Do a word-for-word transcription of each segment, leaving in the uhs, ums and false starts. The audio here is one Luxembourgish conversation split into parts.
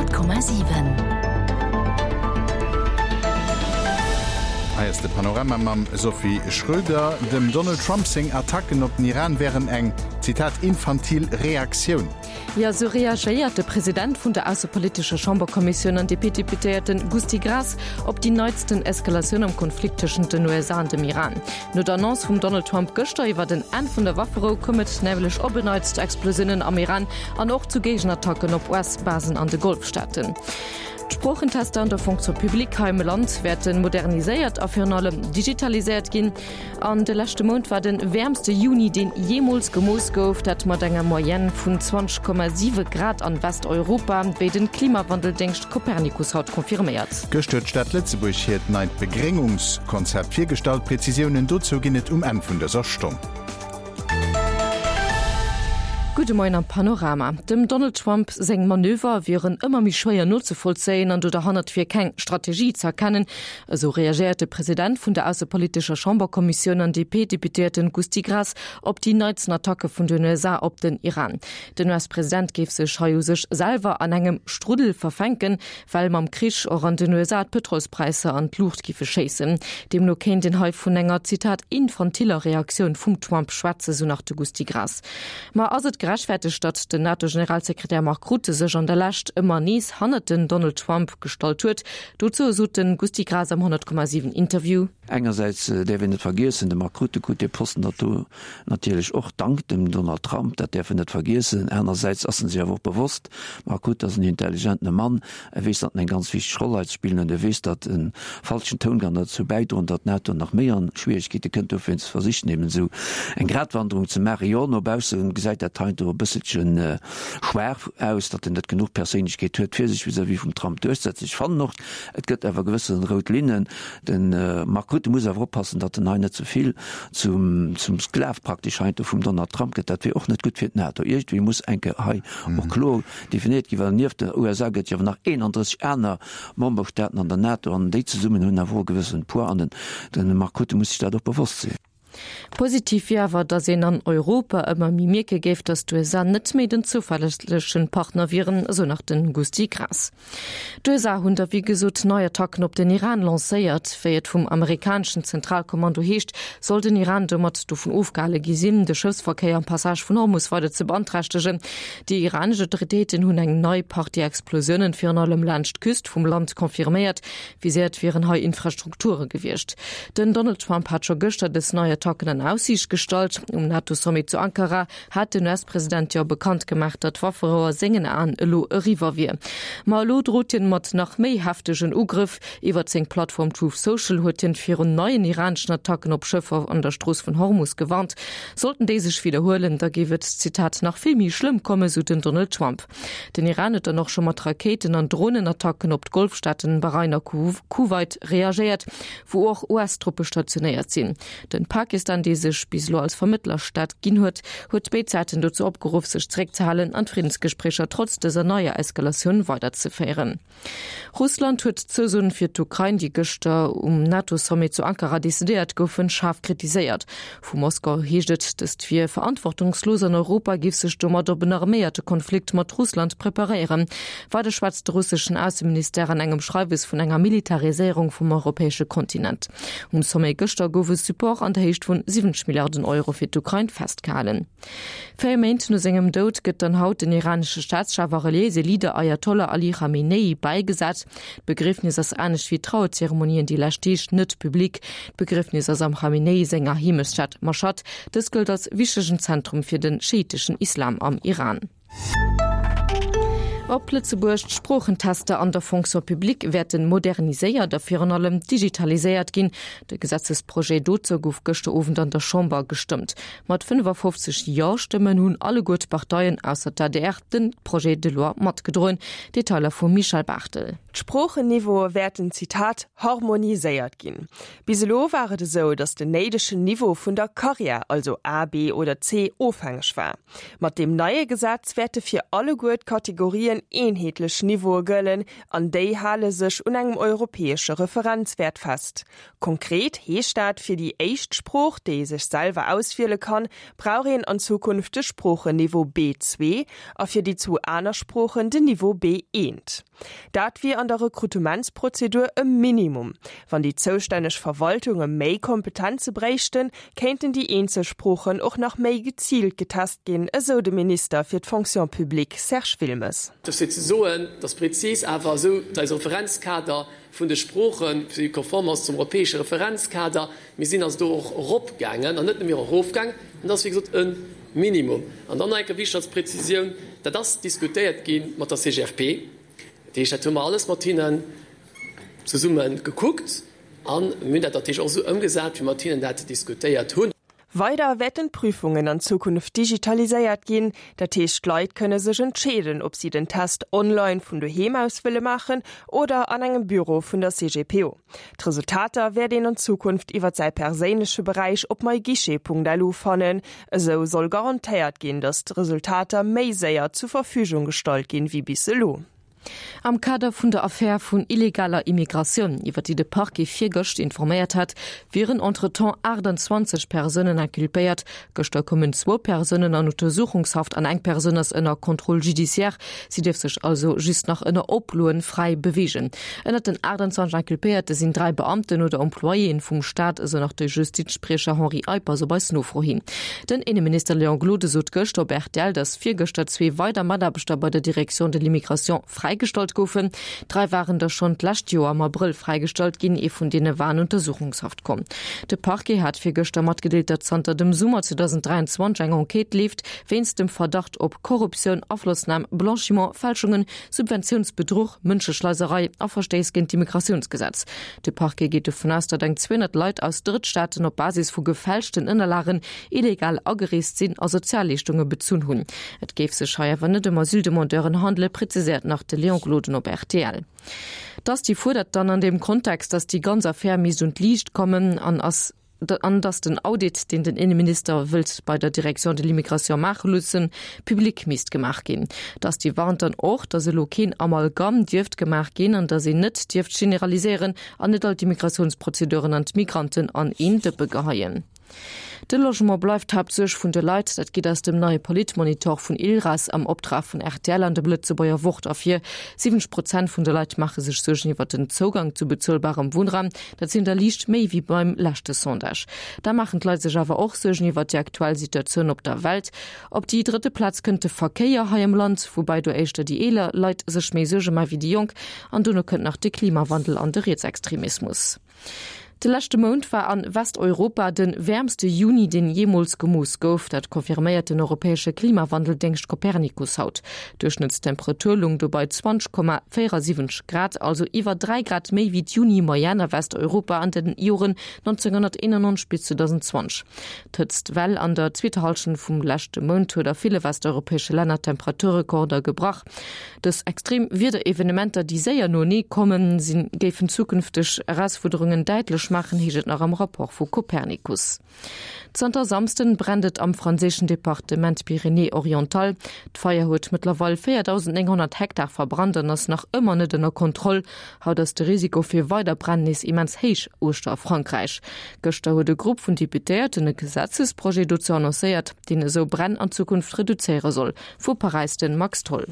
Honnert Komma siwen. Hei ass de Panorama mam Sophie Schröder. Dem Donald Trump seng Attacken op den Iran wären eng, Zitat, infantil Reaktioun. Jo, esou reagéiert de President vun der aussepolitescher Chamberkommissioun an D P-Deputéierte Gusty Graas op déi neitsten Eskalatioun am Konflikt tëschent den U S A an dem Iran. No der Annonce vum Donald Trump gëschter iwwer en Enn vun der Wafferou koum et nämlech op en Neits zu Explosiounen am Iran an och zu Géigenattacken op U S-Basen an de Golfstaaten. D'Sproochentester an der Fonction publique hei am Land wäerte moderniséiert a virun allem digitaliséiert ginn. An de leschte Mount war de wäermste Juni, deen jeemools gemooss gouf, dat mat enger Moyenne vun zwanzeg Komma siwe Grad an Westeuropa, wéi de Klimawandeldéngscht Copernicus haut confirméiert. Gëscht huet d'Stad Lëtzebuerg hiert neit Begréngungskonzept virgestallt. Prezisiounen dozou ginn et um Enn vun dëser Stonn. Gudde Moien am Panorama. Dem Donald Trump seng Manöver wieren ëmmer méi schwéier nozevollzéien an do derhannert wier keng Strategie ze erkennen, esou reagéiert de President vun der aussepolitescher Chamberkommissioun an D P-Deputéierten Gusty Graas op déi neitsten Attacke vun den U S A op den Iran. Den U S-President géif sech hei u sech selwer an engem Struddel verfänken, well mam Krich och an den U S A d'Pëtrolspräisser an d'Luucht géife schéissen. Deemno kéint een hei vun enger, Zitat, infantiller Reaktioun vum Trump schwätzen, sou nach de Gusty Graas. Ma ass et gerechtfertegt, datt den NATO-Generalsekretär Mark Rutte sech an der Lescht ëmmer nees hannert den Donald Trump gestallt huet? Dozou sot de Gusty Graas am honnert Komma siwen Interview. Engersäits däerf een net vergiessen, de Mark Rutte krut dee Posten dat do natierlech och dank dem Donald Trump, dat däerf een net vergiessen. Anersäits ass en sech awer och bewosst, Mark Rutte ass en intelligentene Mann, e weess, datt en eng ganz wichteg Roll hei ze spillen huet, e weess, datt e falschen Toun kann derzou bäidroen, datt d'NATO nach méi an Schwieregkeete kënnt. Dowéinst versicht en eben esou eng Gratwanderung ze maachen. Jo, no bausse gesäit dat heiansdo e bësselche schwaach aus, datt en net genuch Perséinlechkeet huet, fir sech vis-à-vis vum Trump duerchzesetzen. Ech fannen och, et gëtt awer gewësse rout Linnen. De Mark Rutte muss awer oppassen, datt en hei net ze vill zum, zum Sklav praktesch heiansdo vum Donald Trump gëtt. Dat wier och net gutt fir d'NATO. Iergendwéi muss eng Kéier hei och kloer definéiert ginn, well nieft den U S A gëtt jo awer nach eenanddrësseg aner Memberstaaten an der NATO an déi zesummen hunn awer och e gewëssene Poids an den, de Mark Rutte muss sech dat och bewosst sinn. Positiv wier awer, datt een an Europa ëmmer méi mierke géif, datt d'U S A net méi den zouverlässege Partner wieren, esou nach de Gusty Graas. D'U S A hunn da wéi gesot nei Attacken op den Iran lancéiert. Wéi et vum amerikaneschen Zentralkommando heescht, soll den Iran domat dovun ofgehale gi sinn, de Schëffsverkéier am Passage vun Hormus weider ze beanträchtegen. Déi iranesch Autoritéiten hunn eng nei Partie Explosiounen virun allem laanscht d'Küst vum Land confirméiert. Viséiert wieren hei Infrastrukture gewiescht. Den Donald Trump hat scho gëschter dës nei Attacken an Aussiicht gestallt. Um NATO-Sommet zu Ankara hat den U S-President jo bekannt gemaach, datt d'Wafferou a sengen Aen elo eriwwer wier. Ma elo drot hien mat nach méi heftegen Ugrëff. Iwwer seng Plattform Truth Social huet hien virun neien iraneschen Attacken op Schëffer an der Strooss vun Hormus gewarnt. Sollten déi sech widderhuelen, da géif et, Zitat, nach vill méi schlëmm kommen, sou den Donald Trump. Den Iran huet dann och scho mat Rakéiten an Dronenattacken op d'Golfstaaten Bahrain a Kuwait reagéiert, wou och U S-Truppe stationéiert sinn. Den Pakistan, dee sech bis elo als Vermëttlerstaat ginn huet, huet béid Säiten dozou opgeruff, sech zeréckzehalen an d'Friddensgespréicher trotz dëser neier Eskalatioun weiderzeféieren. Russland huet d'Zousoen fir d'Ukrain, déi gëschter um NATO-Sommet zu Ankara decidéiert goufen, schaarf kritiséiert. Vu Moskau heescht et, dëst wier verantwortungslos an Europa géif sech domat op en arméierte Konflikt mat Russland preparéieren. Weider schwätzt de russeschen Ausseministère an engem Schreiwes vun enger Militariséierung vum europäesche Kontinent. Um Sommet gëschter gouf e Support an der Héicht vun siwwenzeg Milliarden Euro fir d'Ukrain festgehalen. Véier Méint no sengem Doud gëtt dann haut den iranesche Staatschef a reliéise Leader Ayatollah Ali Khamenei bäigesat. D'Begriefnis ass anescht wéi d'Trauerzeremonien déi lescht Deeg net publik. D'Begriefnis ass am Khamenei senger Heemechtsstad Mashhad. Dës gëllt als wichtegen Zentrum fir de schiiteschen Islam am Iran. Op Lëtzebuerg, D'Sproochentester an der Fonction publique wäerte moderniséiert a virun allem digitaliséiert ginn. De Gesetzesprojet dozou gouf gëschter Owend an der Chamber gestëmmt. Mat fënnefafofzeg Jo-Stëmmen hunn alleguer d'Parteien ausser d'A D R de Projet de loi matgedroen. Detailer vum Michel Barthel. D'Sproochen-Niveaue wäerten, Zitat, harmoniséiert ginn. Bis elo war et esou, datt den néidegen Niveau vun der Karriär, also A, B oder C, ofhängeg war. Mat deem neie Gesetz wäerte fir alleguer d'Kategorien eenheetlech Niveaue gëllen an déi hale sech un engem europäesche Referenzwäert fest. Konkret heescht dat, fir déi éischt Sprooch, déi ee sech selwer auswiele kann, brauch een an Zukunft de Sproochen-Niveau B zwee a fir déi zwou aner Sproochen den Niveau B eent. Dat wier an der Rekrutementsprozedur e Minimum. Wann déi zoustänneg Verwaltunge méi Kompetenze bréichten, kéinten déi eenzel Sproochen och nach méi geziilt getest ginn, esou de Minister fir d'Fonction publique Serge Wilmes. Dofir ze soen, dass prezis awer esou eise Referenzkader vun de Sproochen, fir konform ass zum europäesche Referenzkader, mir sinn also do och eropgaangen an net nëmme erofgaangen, an dat ass wéi gesot e Minimum. An dann nach eng Kéier wichteg als Präzisioun, dat ass diskutéiert gi mat der C G F P, dat heescht, dat hu mer alles mat hinnen zesumme gekuckt an mir hunn dat natierlech och esou ëmgesat, wéi mer mat hinnen dat diskutéiert hunn. Weider wäerten d'Prüfungen an Zukunft digitaliséiert ginn, dat heescht d'Leit kënne sech entscheeden, ob si den Test online vun doheem aus wëlle maachen oder an engem Büro vun der C G P O. D'Resultater wäert een an Zukunft iwwer säi perséinleche Beräich op myguichet Punkt L U fannen. Esou soll garantéiert ginn, datt d'Resultater méi séier zur Verfügung gestallt ginn wéi bis elo. Am Kader vun der Affär vun illegaler Immigratioun, iwwer déi de Parquet virgëscht informéiert hat, wieren entretemps achttanzwanzeg Persounen inculpéiert. Gëschter koumen zwou Persounen an Untersuchungshaft an eng Persoun ass ënner Contrôle judiciaire. Si dierf sech also just nach ënner Oploen fräi beweegen. Ënnert den achttanzwanzeg Inculpéierte sinn dräi Beamten oder Employéen vum Staat, esou nach de Justizspriecher Henri Eippers op eis Nofro hin. Den Inneminister Léon Gloden sot gëschter op R T L, datt virgëschter zwee weider Mataarbechter bei der Direction de l'immigration fräigestallt goufen. Dräi waren der schonn d'lescht Joer am Abrëll fräigestallt ginn, ee vun deene war an Untersuchungshaft komm. De Parquet hat virgëschter matgedeelt, datt zanter dem Summer zweedausendräianzwanzeg eng Enquête leeft wéinst dem Verdacht op Korruptioun, Aflossnam, Blanchiment, Fälschungen, Subventiounsbedruch, Mënscheschleiserei a Verstéiss géint d'Immigratiounsgesetz. De Parquet geet dovun aus, datt eng zweehonnert Leit aus Drëttstaaten op Basis vu gefälschten Ënnerlagen illegal agereest sinn a Sozialleeschtunge bezunn hunn. Et géif sech hei awer net ëm Asyldemandeuren handelen, präziséiert nach de Léon Gloden op R T L. D'Asti fuerdert dann an deem Kontext, datt déi ganz Affär misst un d'Liicht kommen an ass an datt den Audit, deen den Inneminister wëllt bei der Direction de l'immigration maache loossen, public misst gemaach ginn. D'Asti warnt dann och, datt elo keen Amalgam dierft gemaach ginn an datt een net dierft generaliséieren an net all d'Immigratiounsprozeduren an d'Migranten an een Dëppe geheien. De Logement bleift d'Haaptsuerg vun de Leit, dat geet aus dem neie Politmonitor vun ILRAS am Optrag vun R T L an dem Lëtzebuerger Wort ervir. siwwenzeg Prozent vun de Leit maache sech Suergen iwwer den Zougang zu bezuelbarem Wunnraum, dat sinn der liicht méi wéi beim leschte Sondage. Da maachen d'Leit sech awer och Suergen iwwer déi aktuell Situatioun op der Welt. Op déi drëtte Plaz kënnt de Verkéier hei am Land, woubäi do éischter déi eeler Leit sech méi Suerge maache wéi déi Jonk, an dono kënnt nach de Klimawandel an de Rietsextremismus. De leschte Mount war an Westeuropa de wäermste Juni, deen jeemools gemooss gouf. Dat confirméiert den europäesche Klimawandeldéngscht Copernicus haut. D'Duerchschnëttstemperatur loung do bei zwanzeg Komma véierundsiwwenzeg Grad, also iwwer dräi Grad méi wéi d'Juni-Moyenne a Westeuropa an den Joren nonzénghonnerteenannonzeg bis zweedausendenzwanzeg. D'Hëtztwell an der zweeter Hallschent vum leschte Mount huet a ville westeuropäesche Länner Temperaturrekorder gebrach. Dës extrem Wiederevenementer, déi séier noenee kommen, sinn, géifen zukünfteg Erausfuerderungen däitlech maachen, heescht et nach am Rapport vu Copernicus. Zanter Samsden brennt et am franséischen Departement Pyrénées-Orientales. D'Feier huet mëttlerweil véierdausendnénghonnert Hektar verbrannt an ass nach ëmmer net ënner Kontroll. Haut ass de Risiko fir weider Bränn nees immens héich uechter Frankräich. Gëschter huet e Grupp vun Deputéierten e Gesetzesprojet dozou annoncéiert, deen esou Bränn an Zukunft reduzéiere soll. Vu Paräis de Max Tholl.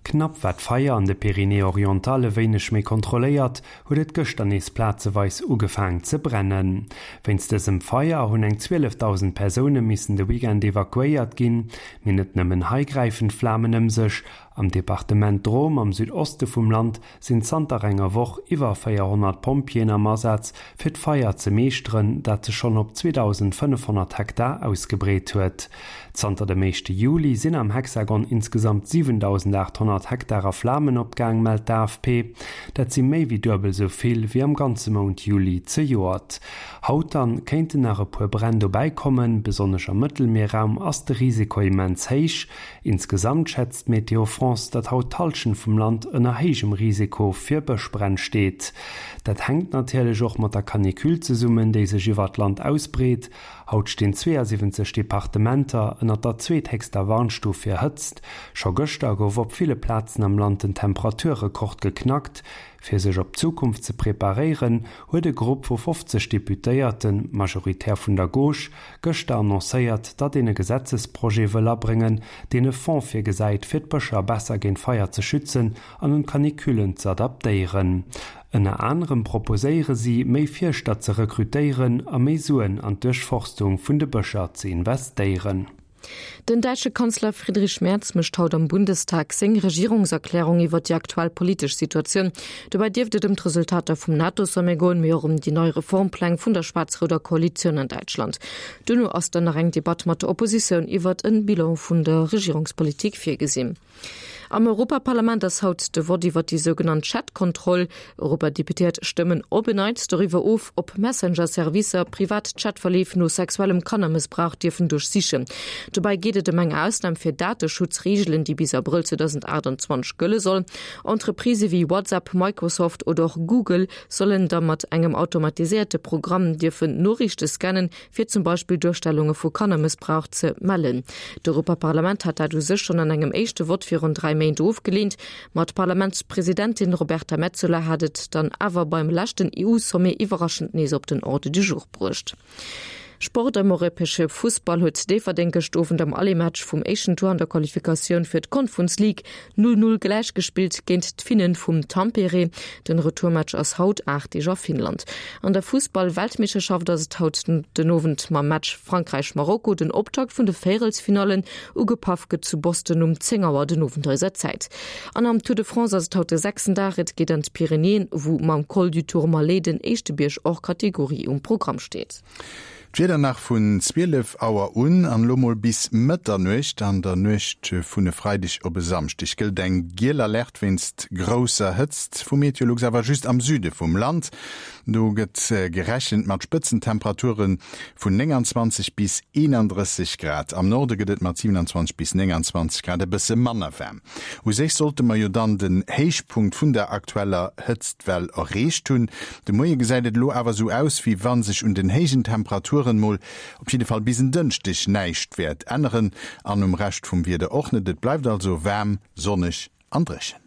Knapp war d'Feier an de Pyrénées-Orientales e wéineg méi kontrolléiert, huet et gëschter nees plazeweis ugefaangen ze brennen. Wéinst dësem Feier hunn eng zwielefdausend Persoune missen de Weekend evakuéiert ginn, mee net nëmmen hei gräifen d'Flamen ëm sech. Am Departement Drôme am Südoste vum Land sinn zanter enger Woch iwwer véierhonnert Pompjeeën am Asaz, fir d'Feier ze meeschteren, dat sech schonn op zweedausendfënnefhonnert Hektar ausgebreet huet. Zanter dem éischte Juli sinn am Hexagon insgesamt siwendausendaathonnert Hektar a Flamen opgaang, mellt d'A F P. Dat si méi wéi duebel sou vill wéi am ganze Mount Juli zejoert. Haut dann kéinten nach e puer Bränn dobäi kommen, besonnesch am Mëttelmierraum ass de Risiko immens héich. Insgesamt schätzt Météo France France, datt haut d'Hallschent vum Land ënner héijem Risiko fir Bëschbränn steet. Dat hänkt natierlech och mat der Canicule zesummen, déi sech iwwer d'Land ausbreet. Haut stinn zweeësiwwenzeg Departementer ënner der zweethéchster Warnstuf fir Hëtzt. Scho gëschter gouf op ville Plazen am Land den Temperaturrekord geknackt. Fir sech op d'Zukunft ze preparéieren, huet e Grupp vu fofzeg Deputéierten, majoritär vun der Gauche, gëschter annoncéiert, datt een e Gesetzesprojet wëll abréngen, deen e Fonds virgesäit, fir d'Bëscher besser géint Feier ze schützen an un d'Canicullen ze adaptéieren. Ënner anerem proposéiere si, méi Fierschter ze rekrutéieren a méi Suen an d'Duerchforstung vun de Bëscher ze investéieren. Den däitsche Kanzler Friedrich Merz mécht haut am Bundestag seng Regierungserklärung iwwer déi aktuell politesch Situatioun. Dobäi dierft et ëm d'Resultater vum NATO-Sommet goen, mee och ëm déi nei Reformpläng vun der schwaarz-rouder Koalitioun an Däitschland. Duerno ass dann nach eng Debatt mat der Oppositioun iwwer en Bilan vun der Regierungspolitik virgesinn. Am Europaparlament ass haut de Vott iwwer déi sougenannt Chat-Kontroll. Europadeputéiert stëmmen op en Neits doriwwer of, ob Messenger-Servicer privat Chatverleef no sexuellem Kannermëssbrauch dierfen duerchsichen. Dobäi geet et ëm eng Ausnam fir Dateschutzreegelen, déi bis Abrëll zweedausendachtundzwanzeg gëlle soll. Entreprisë wéi WhatsApp, Microsoft oder och Google sollen da mat engem automatiséierte Programm dierfen Noriichte scannen, fir zum Beispill Duerstellunge vu Kannermëssbrauch ze mellen. D'Europaparlament hat dat u sech schonn an engem éischte Vott virun dräi Méint ofgeleent, ma d'Parlamentspresidentin Roberta Metsola hat et dann awer beim leschten EU-Sommet iwwerraschend nees op den Ordre du jour bruecht. Sport Am europäesche Fussball huet Déifferdeng gëscht Owend am Aller-Match vum éischten Tour an der Qualifikatioun fir d'Conference League null null gläichgespillt géint d'Finnen vum Tampere. Den Retourmatch ass haut, aacht Deeg a Finnland. An der Fussball-Weltmeeschterschaft ass et haut den Owend mam Match Frankräich-Marokko den Optakt vun de Véierelsfinallen. Ugepaff gëtt zu Boston um zéng Auer den Owend eiser Zäit. An am Tour de France ass et haut de sechsten Dag, et geet an d'Pyrenäen, wou mam Col du Tourmalet den éischte Bierg hors Catégorie um Programm steet. D'Wieder nach, Vun zwielef Auer un an elo mol bis Mëtternuecht an der Nuecht vun e Freideg op e Samschdeg gëllt eng giel Alerte wéinst grousser Hëtzt vu Meteolux, awer just am Süde vum Land. Do gëtt gerechent mat Spëtzentemperature vun nénganzwanzeg bis eenandrësseg Grad. Am Norde gëtt et mat siewenanzwanzeg bis nénganzwanzeg Grad e bësse manner waarm. U sech sollte mer jo dann den Héichpunkt vun der aktueller Hëtztwell erreecht hunn. De Moie gesäit et elo awer sou aus, wéi wa sech un den héijen Temperaturen mol op jidde Fall bis en Dënschdeg näischt wäert änneren an um Rescht vum Wieder och net. Et bleift also waarm, sonneg an dréchen.